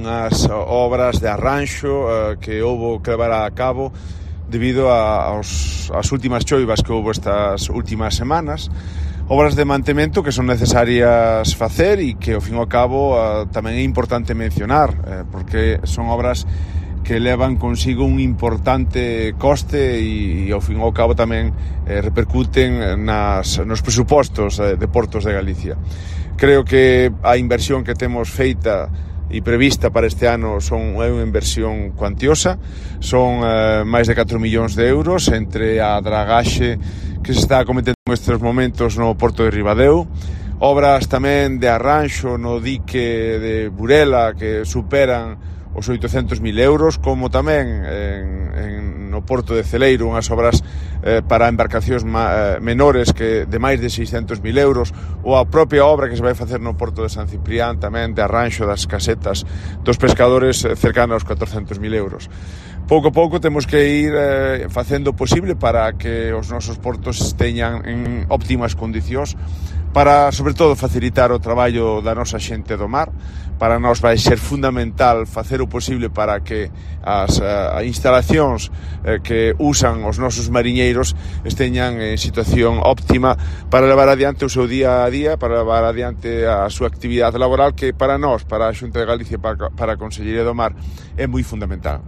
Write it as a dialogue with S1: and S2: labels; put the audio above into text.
S1: unhas obras de arranxo que houbo que levar a cabo debido ás últimas choivas que houbo estas últimas semanas, obras de mantemento que son necesarias facer e que ao fin e ao cabo tamén é importante mencionar, porque son obras que levan consigo un importante coste e ao fin e ao cabo tamén repercuten nos presupostos de Portos de Galicia. Creo que a inversión que temos feita e prevista para este ano é unha inversión cuantiosa, son máis de 4 millóns de euros entre a dragaxe que se está cometendo nestes momentos no Porto de Ribadeo, obras tamén de arranxo no dique de Burela que superan os 800.000 euros, como tamén no Porto de Celeiro unhas obras para embarcacións menores que de máis de 600.000 euros, ou a propia obra que se vai facer no Porto de San Ciprián tamén de arranxo das casetas dos pescadores cercana aos 400.000 euros. Pouco a pouco temos que ir facendo o posible para que os nosos portos teñan en óptimas condicións para, sobre todo, facilitar o traballo da nosa xente do mar. Para nós vai ser fundamental facer o posible para que as instalacións que usan os nosos mariñeiros esteñan en situación óptima para levar adiante o seu día a día, para levar adiante a súa actividade laboral, que para nós, para a Xunta de Galicia e para a Consellería do Mar, é moi fundamental.